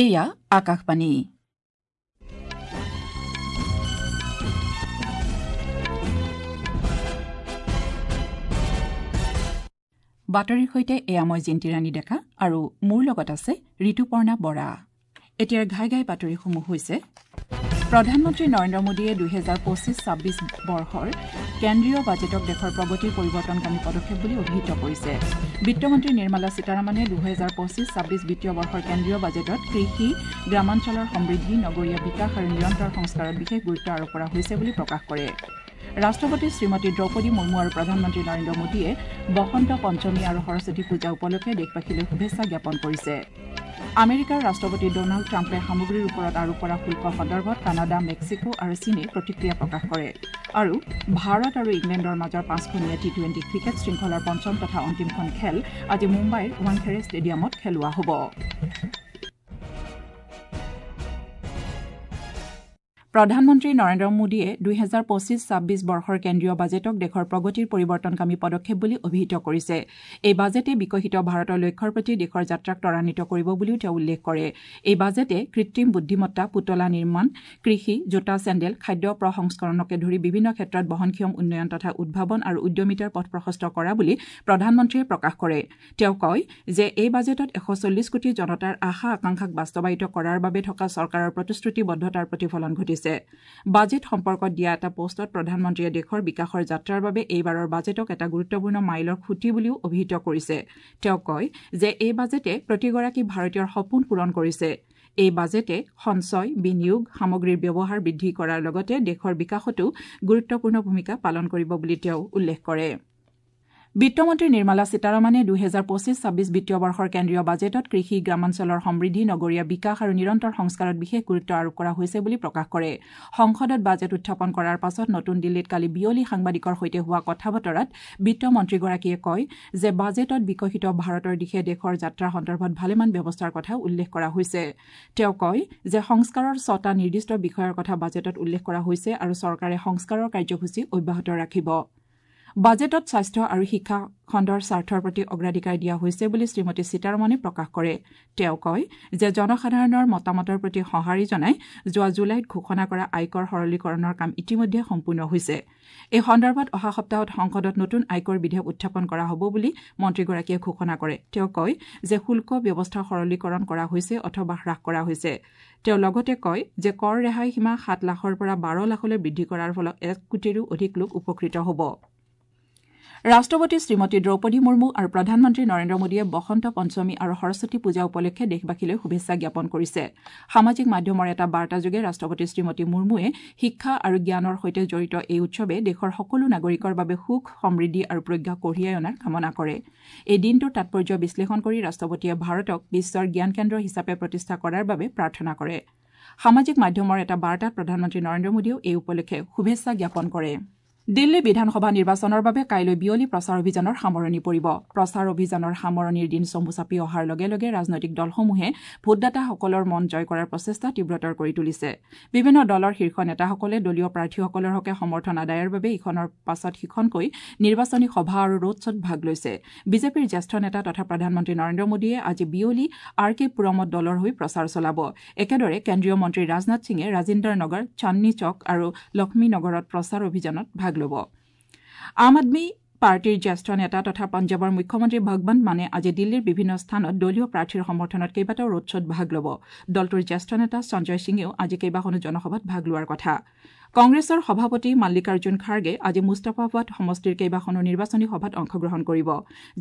এয়া আকাশবাণী। বাতৰিৰ সৈতে এয়া মই জিন্তিৰাণী ডেকা আৰু মোৰ লগত আছে ঋতুপৰ্ণা বৰা। এতিয়াৰ ঘাই ঘাই বাতৰিসমূহ হৈছে: প্ৰধানমন্ত্ৰী নৰেন্দ্ৰ মোদীয়ে 2025-26 বৰ্ষৰ কেন্দ্ৰীয় বাজেটক দেশৰ প্ৰগতিৰ পৰিৱৰ্তনকামী পদক্ষেপ বুলি অভিহিত কৰিছে। বিত্তমন্ত্ৰী নিৰ্মলা সীতাৰমণে 2025-26 বিত্তীয় বৰ্ষৰ কেন্দ্ৰীয় বাজেটত কৃষি, গ্ৰামাঞ্চলৰ সমৃদ্ধি, নগৰীয়া বিকাশ আৰু নিৰন্তৰ সংস্কাৰত বিশেষ গুৰুত্ব আৰোপ কৰা হৈছে বুলি প্ৰকাশ কৰে। ৰাষ্ট্ৰপতি শ্ৰীমতী দ্ৰৌপদী মুৰ্মু আৰু প্ৰধানমন্ত্ৰী নৰেন্দ্ৰ মোদীয়ে বসন্ত পঞ্চমী আৰু সৰস্বতী পূজা উপলক্ষে দেশবাসীলৈ শুভেচ্ছা জ্ঞাপন কৰিছে। আমেৰিকাৰ ৰাষ্ট্ৰপতি ডনাল্ড ট্ৰাম্পে সামগ্ৰীৰ ওপৰত আৰোপ কৰা শুল্ক সন্দৰ্ভত কানাডা, মেক্সিকো আৰু চীনে প্ৰতিক্ৰিয়া প্ৰকাশ কৰে। আৰু ভাৰত আৰু ইংলেণ্ডৰ মাজৰ 5খনীয়া টি-20 ক্ৰিকেট শৃংখলাৰ পঞ্চম তথা অন্তিমখন খেল আজি মুম্বাইৰ ৱাংখেড়ে ষ্টেডিয়ামত খেলোৱা হ'ব। প্ৰধানমন্ত্ৰী নৰেন্দ্ৰ মোদীয়ে 2025-26 বৰ্ষৰ কেন্দ্ৰীয় বাজেটক দেশৰ প্ৰগতিৰ পৰিৱৰ্তনকামী পদক্ষেপ বুলি অভিহিত কৰিছে। এই বাজেটে বিকশিত ভাৰতৰ লক্ষ্যৰ প্ৰতি দেশৰ যাত্ৰাক ত্বৰান্বিত কৰিব বুলিও তেওঁ উল্লেখ কৰে। এই বাজেটে কৃত্ৰিম বুদ্ধিমত্তা, পুতলা নিৰ্মাণ, কৃষি, জোতা, চেণ্ডেল, খাদ্য প্ৰসংস্কৰণকে ধৰি বিভিন্ন ক্ষেত্ৰত বহনক্ষম উন্নয়ন তথা উদ্ভাৱন আৰু উদ্যমিতাৰ পথ প্ৰশস্ত কৰা বুলি প্ৰধানমন্ত্ৰীয়ে প্ৰকাশ কৰে। তেওঁ কয় যে এই বাজেটত 140 কোটি জনতাৰ আশা আকাংক্ষাক বাস্তৱায়িত কৰাৰ বাবে থকা চৰকাৰৰ প্ৰতিশ্ৰুতিবদ্ধতাৰ প্ৰতিফলন ঘটিছে। বাজেট সম্পৰ্কত দিয়া এটা পোষ্টত প্ৰধানমন্ত্ৰীয়ে দেশৰ বিকাশৰ যাত্ৰাৰ বাবে এইবাৰৰ বাজেটক এটা গুৰুত্বপূৰ্ণ মাইলৰ খুঁটি বুলিও অভিহিত কৰিছে। তেওঁ কয় যে এই বাজেটে প্ৰতিগৰাকী ভাৰতীয়ৰ সপোন পূৰণ কৰিছে। এই বাজেটে সঞ্চয়, বিনিয়োগ, সামগ্ৰীৰ ব্যৱহাৰ বৃদ্ধি কৰাৰ লগতে দেশৰ বিকাশতো গুৰুত্বপূৰ্ণ ভূমিকা পালন কৰিব বুলি তেওঁ উল্লেখ কৰে। বিত্তমন্ত্ৰী নিৰ্মলা সীতাৰমণে 2025-26 বিত্তীয় বৰ্ষৰ কেন্দ্ৰীয় বাজেটত কৃষি, গ্ৰামাঞ্চলৰ সমৃদ্ধি, নগৰীয়া বিকাশ আৰু নিৰন্তৰ সংস্কাৰত বিশেষ গুৰুত্ব আৰোপ কৰা হৈছে বুলি প্ৰকাশ কৰে। সংসদত বাজেট উত্থাপন কৰাৰ পাছত নতুন দিল্লীত কালি বিয়লি সাংবাদিকৰ সৈতে হোৱা কথা বতৰাত বিত্তমন্ত্ৰীগৰাকীয়ে কয় যে বাজেটত বিকশিত ভাৰতৰ দিশে দেশৰ যাত্ৰা সন্দৰ্ভত ভালেমান ব্যৱস্থাৰ কথা উল্লেখ কৰা হৈছে। তেওঁ কয় যে সংস্কাৰৰ 6টা নিৰ্দিষ্ট বিষয়ৰ কথা বাজেটত উল্লেখ কৰা হৈছে আৰু চৰকাৰে সংস্কাৰৰ কাৰ্যসূচী অব্যাহত ৰাখিব। বাজেটত স্বাস্থ্য আৰু শিক্ষা খণ্ডৰ স্বাৰ্থৰ প্ৰতি অগ্ৰাধিকাৰ দিয়া হৈছে বুলি শ্ৰীমতী সীতাৰমণে প্ৰকাশ কৰে। তেওঁ কয় যে জনসাধাৰণৰ মতামতৰ প্ৰতি সঁহাৰি জনাই যোৱা জুলাইত ঘোষণা কৰা আয়কৰ সৰলীকৰণৰ কাম ইতিমধ্যে সম্পূৰ্ণ হৈছে। এই সন্দৰ্ভত অহা সপ্তাহত সংসদত নতুন আয়কৰ বিধেয়ক উত্থাপন কৰা হ'ব বুলি মন্ত্ৰীগৰাকীয়ে ঘোষণা কৰে। তেওঁ কয় যে শুল্ক ব্যৱস্থা সৰলীকৰণ কৰা হৈছে অথবা হ্ৰাস কৰা হৈছে। তেওঁ লগতে কয় যে কৰ ৰেহাই সীমা 7 লাখৰ পৰা 12 লাখলৈ বৃদ্ধি কৰাৰ ফলত 1 কোটিৰো অধিক লোক উপকৃত হ'ব। ৰাষ্ট্ৰপতি শ্ৰীমতী দ্ৰৌপদী মুৰ্মু আৰু প্ৰধানমন্ত্ৰী নৰেন্দ্ৰ মোদীয়ে বসন্ত পঞ্চমী আৰু সৰস্বতী পূজা উপলক্ষে দেশবাসীলৈ শুভেচ্ছা জ্ঞাপন কৰিছে। সামাজিক মাধ্যমৰ এটা বাৰ্তাযোগে ৰাষ্ট্ৰপতি শ্ৰীমতী মুৰ্মুৱে শিক্ষা আৰু জ্ঞানৰ সৈতে জড়িত এই উৎসৱে দেশৰ সকলো নাগৰিকৰ বাবে সুখ, সমৃদ্ধি আৰু প্ৰজ্ঞা কঢ়িয়াই অনাৰ কামনা কৰে। এই দিনটোৰ তাৎপৰ্য বিশ্লেষণ কৰি ৰাষ্ট্ৰপতিয়ে ভাৰতক বিশ্বৰ জ্ঞান কেন্দ্ৰ হিচাপে প্ৰতিষ্ঠা কৰাৰ বাবে প্ৰাৰ্থনা কৰে। সামাজিক মাধ্যমৰ এটা বাৰ্তাত প্ৰধানমন্ত্ৰী নৰেন্দ্ৰ মোদীয়েও এই উপলক্ষে শুভেচ্ছা জ্ঞাপন কৰে। দিল্লী বিধানসভা নিৰ্বাচনৰ বাবে কাইলৈ বিয়লি প্ৰচাৰ অভিযানৰ সামৰণি পৰিব। প্ৰচাৰ অভিযানৰ সামৰণিৰ দিন চমু চাপি অহাৰ লগে লগে ৰাজনৈতিক দলসমূহে ভোটদাতাসকলৰ মন জয় কৰাৰ প্ৰচেষ্টা তীব্ৰতৰ কৰি তুলিছে। বিভিন্ন দলৰ শীৰ্ষ নেতাসকলে দলীয় প্ৰাৰ্থীসকলৰ হকে সমৰ্থন আদায়ৰ বাবে ইখনৰ পাছত সিখনকৈ নিৰ্বাচনী সভা আৰু ৰোড শ্ব'ত ভাগ লৈছে। বিজেপিৰ জ্যেষ্ঠ নেতা তথা প্ৰধানমন্ত্ৰী নৰেন্দ্ৰ মোদীয়ে আজি বিয়লি আৰ কে পুৰমত দলৰ হৈ প্ৰচাৰ চলাব। একেদৰে কেন্দ্ৰীয় মন্ত্ৰী ৰাজনাথ সিঙে ৰাজিন্দৰ নগৰ, চান্দনী চক আৰু লক্ষ্মী নগৰত প্ৰচাৰ অভিযানত ভাগ ল'ব। আম আদমী পাৰ্টীৰ জ্যেষ্ঠ নেতা তথা পঞ্জাৱৰ মুখ্যমন্ত্ৰী ভগৱন্ত মানে আজি দিল্লীৰ বিভিন্ন স্থানত দলীয় প্ৰাৰ্থীৰ সমৰ্থনত কেইবাটাও ৰোড শ্ব'ত ভাগ ল'ব। দলটোৰ জ্যেষ্ঠ নেতা সঞ্জয় সিঙেও আজি কেইবাখনো জনসভাত ভাগ লোৱাৰ কথা। কংগ্ৰেছৰ সভাপতি মাল্লিকাৰ্জুন খাৰ্গে আজি মুস্তাফাবাদ সমষ্টিৰ কেইবাখনো নিৰ্বাচনী সভাত অংশগ্ৰহণ কৰিব।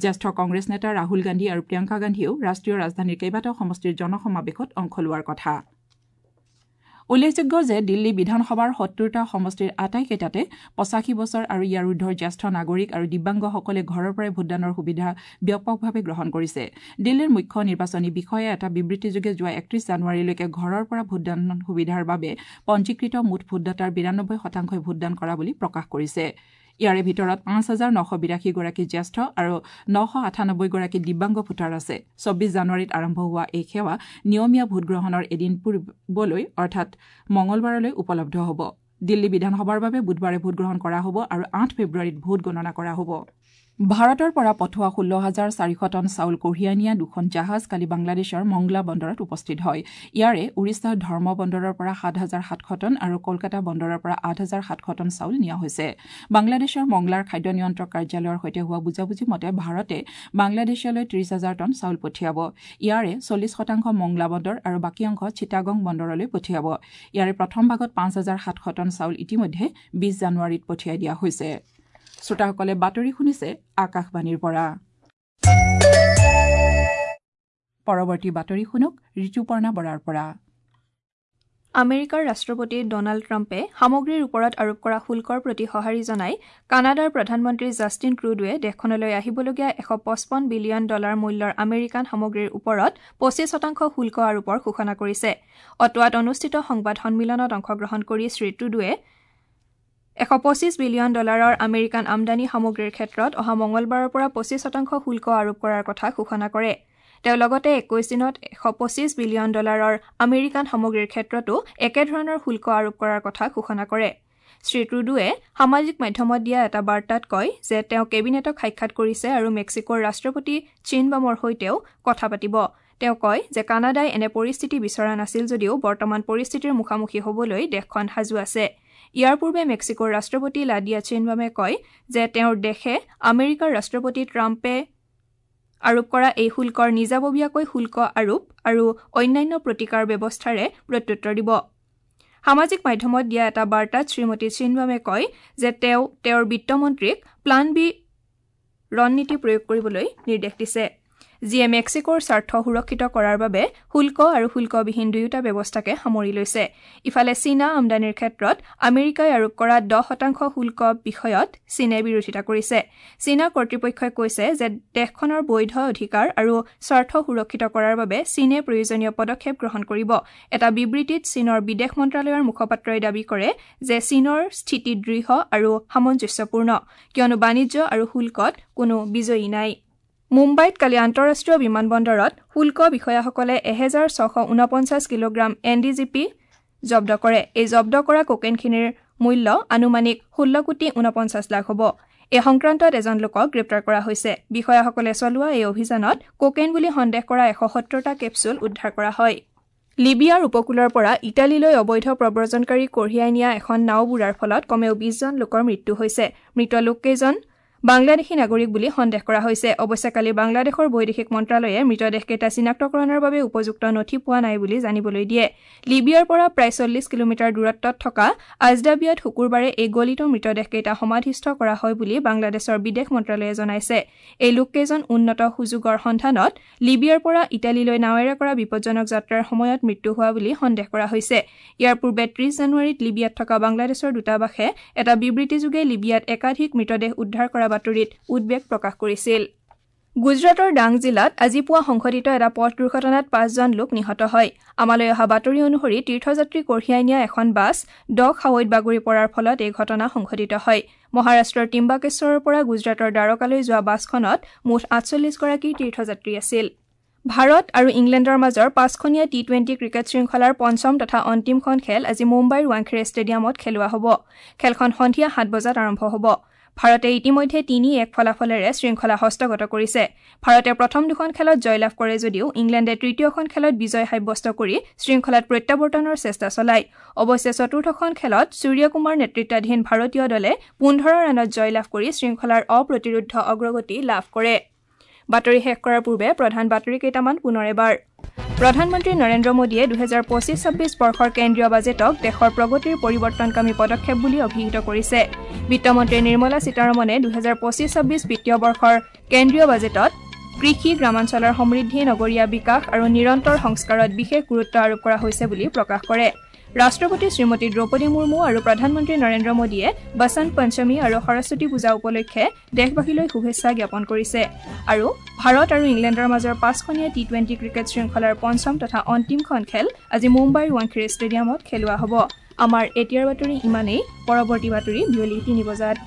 জ্যেষ্ঠ কংগ্ৰেছ নেতা ৰাহুল গান্ধী আৰু প্ৰিয়ংকা গান্ধীয়েও ৰাষ্ট্ৰীয় ৰাজধানীৰ কেইবাটাও সমষ্টিৰ জনসমাৱেশত অংশ লোৱাৰ কথা। উল্লেখযোগ্য যে দিল্লী বিধানসভাৰ 70টা সমষ্টিৰ আটাইকেইটাতে 85 বছৰ আৰু ইয়াৰ ঊৰ্ধৰ জ্যেষ্ঠ নাগৰিক আৰু দিব্যাংগসকলে ঘৰৰ পৰাই ভোটদানৰ সুবিধা ব্যাপকভাৱে গ্ৰহণ কৰিছে। দিল্লীৰ মুখ্য নিৰ্বাচনী বিষয়াই এটা বিবৃতিযোগে যোৱা 31 জানুৱাৰীলৈকে ঘৰৰ পৰা ভোটদান সুবিধাৰ বাবে পঞ্জীকৃত মুঠ ভোটদাতাৰ 92% ভোটদান কৰা বুলি প্ৰকাশ কৰিছে। ইয়াৰে ভিতৰত 5,982 গৰাকী জ্যেষ্ঠ আৰু 998 গৰাকী দিব্যাংগ ভোটাৰ আছে। 24 জানুৱাৰীত আৰম্ভ হোৱা এই সেৱা নিয়মীয়া ভোটগ্ৰহণৰ এদিন পূৰ্বলৈ অৰ্থাৎ মঙলবাৰলৈ উপলব্ধ হ'ব। দিল্লী বিধানসভাৰ বাবে বুধবাৰে ভোটগ্ৰহণ কৰা হ'ব আৰু 8 ফেব্ৰুৱাৰীত ভোট গণনা কৰা হ'ব। ভাৰতৰ পৰা পঠোৱা ১৬,৪০০ টন চাউল কঢ়িয়াই নিয়া দুখন জাহাজ কালি বাংলাদেশৰ মংগলা বন্দৰত উপস্থিত হয়। ইয়াৰে ওড়িশাৰ ধৰ্ম বন্দৰৰ পৰা ৭,৭০০ টন আৰু কলকাতা বন্দৰৰ পৰা ৮,৭০০ টন চাউল নিয়া হৈছে। বাংলাদেশৰ মংলাৰ খাদ্য নিয়ন্ত্ৰক কাৰ্যালয়ৰ সৈতে হোৱা বুজাবুজি মতে ভাৰতে বাংলাদেশলৈ ৩০,০০০ টন চাউল পঠিয়াব। ইয়াৰে ৪০% মংলা বন্দৰ আৰু বাকী অংশ চিটাগং বন্দৰলৈ পঠিয়াব। ইয়াৰে প্ৰথম ভাগত ৫,৭০০ টন চাউল ইতিমধ্যে ২০ জানুৱাৰীত পঠিয়াই দিয়া হৈছে। শ্ৰোতাসকলে বাতৰি শুনিছে আকাশবাণীৰ পৰা। পৰৱৰ্তী বাতৰি শুনক ঋতুপৰ্ণা বৰাৰ পৰা। আমেৰিকাৰ ৰাষ্ট্ৰপতি ডনাল্ড ট্ৰাম্পে সামগ্ৰীৰ ওপৰত আৰোপ কৰা শুল্কৰ প্ৰতি সঁহাৰি জনাই কানাডাৰ প্ৰধানমন্ত্ৰী জাষ্টিন ট্ৰুডোৱে দেশখনলৈ আহিবলগীয়া $১৫৫ বিলিয়ন মূল্যৰ আমেৰিকান সামগ্ৰীৰ ওপৰত ২৫% শুল্ক আৰোপৰ ঘোষণা কৰিছে। অটোৱাত অনুষ্ঠিত সংবাদ সন্মিলনত অংশগ্ৰহণ কৰি শ্ৰী ট্ৰুডোৱে $১২৫ বিলিয়ন আমেৰিকান আমদানি সামগ্ৰীৰ ক্ষেত্ৰত অহা মঙলবাৰৰ পৰা ২৫% শুল্ক আৰোপ কৰাৰ কথা ঘোষণা কৰে। তেওঁ লগতে ২১ দিনত $১২৫ বিলিয়ন আমেৰিকান সামগ্ৰীৰ ক্ষেত্ৰতো একেধৰণৰ শুল্ক আৰোপ কৰাৰ কথা ঘোষণা কৰে। শ্ৰী ট্ৰুডোৱে সামাজিক মাধ্যমত দিয়া এটা বাৰ্তাত কয় যে তেওঁ কেবিনেটক সাক্ষাৎ কৰিছে আৰু মেক্সিকোৰ ৰাষ্ট্ৰপতি চিনবামৰ সৈতেও কথা পাতিব। তেওঁ কয় যে কানাডাই এনে পৰিস্থিতি বিচৰা নাছিল যদিও বৰ্তমান পৰিস্থিতিৰ মুখামুখি হ'বলৈ দেশখন সাজু আছে। ইয়াৰ পূৰ্বে মেক্সিকোৰ ৰাষ্ট্ৰপতি লাডিয়া চিনবামে কয় যে তেওঁৰ দেশে আমেৰিকাৰ ৰাষ্ট্ৰপতি ট্ৰাম্পে আৰোপ কৰা এই শুল্কৰ নিজাববীয়াকৈ শুল্ক আৰোপ আৰু অন্যান্য প্ৰতিকাৰ ব্যৱস্থাৰে প্ৰত্যুত্তৰ দিব। সামাজিক মাধ্যমত দিয়া এটা বাৰ্তাত শ্ৰীমতী চিনবামে কয় যে তেওঁ তেওঁৰ বিত্তমন্ত্ৰীক প্লান বি ৰণনীতি প্ৰয়োগ কৰিবলৈ নিৰ্দেশ দিছে, যিয়ে মেক্সিকোৰ স্বাৰ্থ সুৰক্ষিত কৰাৰ বাবে শুল্ক আৰু শুল্কবিহীন দুয়োটা ব্যৱস্থাকে সামৰি লৈছে। ইফালে চীনা আমদানিৰ ক্ষেত্ৰত আমেৰিকাই আৰোপ কৰা ১০% শুল্ক বিষয়ত চীনে বিৰোধিতা কৰিছে। চীনা কৰ্তৃপক্ষই কৈছে যে দেশখনৰ বৈধ অধিকাৰ আৰু স্বাৰ্থ সুৰক্ষিত কৰাৰ বাবে চীনে প্ৰয়োজনীয় পদক্ষেপ গ্ৰহণ কৰিব। এটা বিবৃতিত চীনৰ বিদেশ মন্ত্ৰালয়ৰ মুখপাত্ৰই দাবী কৰে যে চীনৰ স্থিতি দৃঢ় আৰু সামঞ্জস্যপূৰ্ণ, কিয়নো বাণিজ্য আৰু শুল্কত কোনো বিজয়ী নাই। মুম্বাইত কালি আন্তঃৰাষ্ট্ৰীয় বিমানবন্দৰত শুল্ক বিষয়াসকলে ১৬৪৯ কিলোগ্ৰাম NDGP জব্দ কৰে। এই জব্দ কৰা কোকেইনখিনিৰ মূল্য আনুমানিক ১৬ কোটি ৪৯ লাখ হ'ব। এই সংক্ৰান্তত এজন লোকক গ্ৰেপ্তাৰ কৰা হৈছে। বিষয়াসকলে চলোৱা এই অভিযানত কোকেইন বুলি সন্দেহ কৰা ১৭০টা কেপছুল উদ্ধাৰ কৰা হয়। লিবিয়াৰ উপকূলৰ পৰা ইটালীলৈ অবৈধ প্ৰব্ৰজনকাৰী কঢ়িয়াই নিয়া এখন নাও বুৰাৰ ফলত কমেও ২০জন লোকৰ মৃত্যু হৈছে। মৃত লোককেইজন বাংলাদেশী নাগৰিক বুলি সন্দেহ কৰা হৈছে। অৱশ্যে কালি বাংলাদেশৰ বৈদেশিক মন্ত্ৰালয়ে মৃতদেহকেইটা চিনাক্তকৰণৰ বাবে উপযুক্ত নথি পোৱা নাই বুলি জানিবলৈ দিয়ে। লিবিয়াৰ পৰা প্ৰায় ৪০ কিলোমিটাৰ দূৰত্বত থকা আজদাবিয়াত শুকুৰবাৰে এই গলিত মৃতদেহকেইটা সমাধিস্থ কৰা হয় বুলি বাংলাদেশৰ বিদেশ মন্ত্ৰালয়ে জনাইছে। এই লোককেইজন উন্নত সুযোগৰ সন্ধানত লিবিয়াৰ পৰা ইটালীলৈ নাৱেৰে কৰা বিপজ্জনক যাত্ৰাৰ সময়ত মৃত্যু হোৱা বুলি সন্দেহ কৰা হৈছে। ইয়াৰ পূৰ্বে ৩০ জানুৱাৰীত লিবিয়াত থকা বাংলাদেশৰ দূতাবাসে এটা বিবৃতিযোগে লিবিয়াত একাধিক মৃতদেহ উদ্ধাৰ কৰা বাতৰিত উদ্বেগ প্ৰকাশ কৰিছিল। গুজৰাটৰ ডাং জিলাত আজি পুৱা সংঘটিত এটা পথ দুৰ্ঘটনাত ৫জন লোক নিহত হয়। আমালৈ অহা বাতৰি অনুসৰি তীৰ্থযাত্ৰী কঢ়িয়াই নিয়া এখন বাছ দ খাৱৈত বাগৰি পৰাৰ ফলত এই ঘটনা সংঘটিত হয়। মহাৰাষ্ট্ৰৰ টিম্বাকেশ্বৰৰ পৰা গুজৰাটৰ দ্বাৰকালৈ যোৱা বাছখনত মুঠ ৪৮গৰাকী তীৰ্থযাত্ৰী আছিল। ভাৰত আৰু ইংলেণ্ডৰ মাজৰ ৫খনীয়া টি-টুৱেণ্টি ক্ৰিকেট শৃংখলাৰ পঞ্চম তথা অন্তিমখন খেল আজি মুম্বাইৰ ৱাংখেড়ে ষ্টেডিয়ামত খেলোৱা হ'ব। খেলখন সন্ধিয়া ৭ বজাত আৰম্ভ হ'ব। ভাৰতে ইতিমধ্যে ৩-১ ফলাফলেৰে শৃংখলা হস্তগত কৰিছে। ভাৰতে প্ৰথম দুখন খেলত জয়লাভ কৰে যদিও ইংলেণ্ডে তৃতীয়খন খেলত বিজয় সাব্যস্ত কৰি শৃংখলাত প্ৰত্যাৱৰ্তনৰ চেষ্টা চলায়। অৱশ্যে চতুৰ্থখন খেলত সূৰ্যকুমাৰ নেতৃত্বাধীন ভাৰতীয় দলে ১৫ ৰানত জয়লাভ কৰি শৃংখলাৰ অপ্ৰতিৰোধ্য অগ্ৰগতি লাভ কৰে। বাতৰি শেষ কৰাৰ পূৰ্বে প্ৰধান বাতৰি কেইটামান পুনৰ এবাৰ। প্ৰধানমন্ত্ৰী নৰেন্দ্ৰ মোদীয়ে ২০২৫-২৬ বৰ্ষৰ কেন্দ্ৰীয় বাজেটক দেশৰ প্ৰগতিৰ পৰিৱৰ্তনকামী পদক্ষেপ বুলি অভিহিত কৰিছে। বিত্তমন্ত্ৰী নিৰ্মলা সীতাৰমণে ২০২৫-২৬ বিত্তীয় বৰ্ষৰ কেন্দ্ৰীয় বাজেটত কৃষি, গ্ৰামাঞ্চলৰ সমৃদ্ধি, নগৰীয়া বিকাশ আৰু নিৰন্তৰ সংস্কাৰত বিশেষ গুৰুত্ব আৰোপ কৰা হৈছে বুলি প্ৰকাশ কৰে। ৰাষ্ট্ৰপতি শ্ৰীমতী দ্ৰৌপদী মুৰ্মু আৰু প্ৰধানমন্ত্ৰী নৰেন্দ্ৰ মোদীয়ে বসন্ত পঞ্চমী আৰু সৰস্বতী পূজা উপলক্ষে দেশবাসীলৈ শুভেচ্ছা জ্ঞাপন কৰিছে। আৰু ভাৰত আৰু ইংলেণ্ডৰ মাজৰ ৫খনীয়া টি-টুৱেণ্টি ক্ৰিকেট শৃংখলাৰ পঞ্চম তথা অন্তিমখন খেল আজি মুম্বাইৰ ৱাংখেড়ে ষ্টেডিয়ামত খেলোৱা হ'ব। আমাৰ এতিয়াৰ বাতৰি ইমানেই। পৰৱৰ্তী বাতৰি বিয়লি ৩ বজাত।